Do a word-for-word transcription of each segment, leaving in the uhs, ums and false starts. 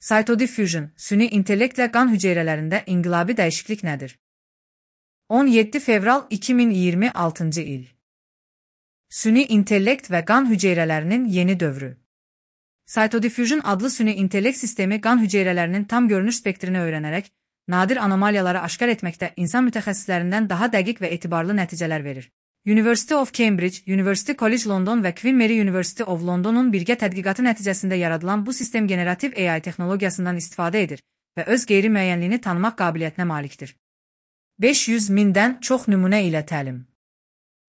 Cytodiffusion, süni intellektlə qan hüceyrələrində inqilabi dəyişiklik nədir? on yeddi fevral iki min iyirmi altıncı il. Süni intellekt və qan hüceyrələrinin yeni dövrü. Cytodiffusion adlı süni intellekt sistemi qan hüceyrələrinin tam görünüş spektrini öyrənərək, nadir anomaliyaları aşkar etməkdə insan mütəxəssislərindən daha dəqiq və etibarlı nəticələr verir. University of Cambridge, University College London və Queen Mary University of London'un birgə tədqiqatı nəticəsində yaradılan bu sistem generativ A I texnologiyasından istifadə edir və öz qeyri-müəyyənliyini tanımaq qabiliyyətinə malikdir. beş yüz mindən çox nümunə ilə təlim.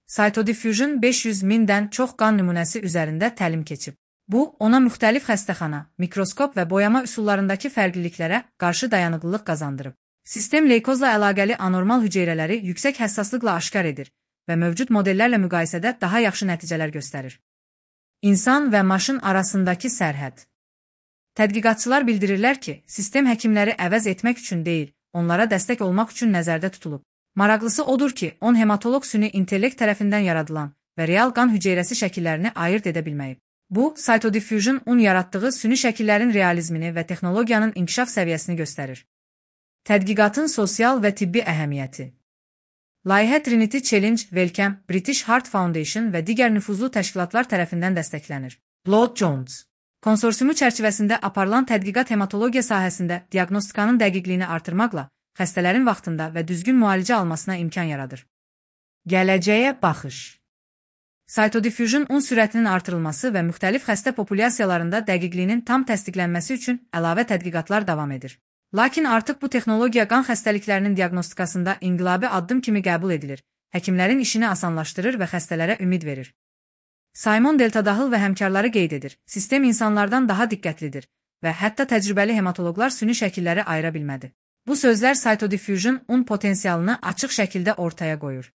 Cytodiffusion beş yüz mindən çox qan nümunəsi üzərində təlim keçib. Bu, ona müxtəlif xəstəxana, mikroskop və boyama üsullarındakı fərqliliklərə qarşı dayanıqlılıq qazandırıb. Sistem leykozla əlaqəli anormal hüceyrələri yüksək həssaslıqla aşkar edir və mövcud modellərlə müqayisədə daha yaxşı nəticələr göstərir. İnsan və maşın arasındakı sərhəd. Tədqiqatçılar bildirirlər ki, sistem həkimləri əvəz etmək üçün deyil, onlara dəstək olmaq üçün nəzərdə tutulub. Maraqlısı odur ki, on hematoloq süni intellekt tərəfindən yaradılan və real qan hüceyrəsi şəkillərini ayırt edə bilməyib. Bu, Cytodiffusion un yaratdığı süni şəkillərin realizmini və texnologiyanın inkişaf səviyyəsini göstərir. Tədqiqatın sosial və tibbi əhəmiyyəti. Layihə Trinity Challenge, Wellcome, British Heart Foundation və digər nüfuzlu təşkilatlar tərəfindən dəstəklənir. Blood Jones konsorsiumu çərçivəsində aparılan tədqiqat hematologiya sahəsində diaqnostikanın dəqiqliyini artırmaqla xəstələrin vaxtında və düzgün müalicə almasına imkan yaradır. Gələcəyə baxış. Cytodiffusion un sürətinin artırılması və müxtəlif xəstə populyasiyalarında dəqiqliyinin tam təsdiqlənməsi üçün əlavə tədqiqatlar davam edir. Lakin artıq bu texnologiya qan xəstəliklərinin diaqnostikasında inqilabi addım kimi qəbul edilir, həkimlərin işini asanlaşdırır və xəstələrə ümid verir. Simon Deltadahıl və həmkarları qeyd edir, sistem insanlardan daha diqqətlidir və hətta təcrübəli hematoloqlar süni şəkilləri ayıra bilmədi. Bu sözlər Cytodiffusion un potensialını açıq şəkildə ortaya qoyur.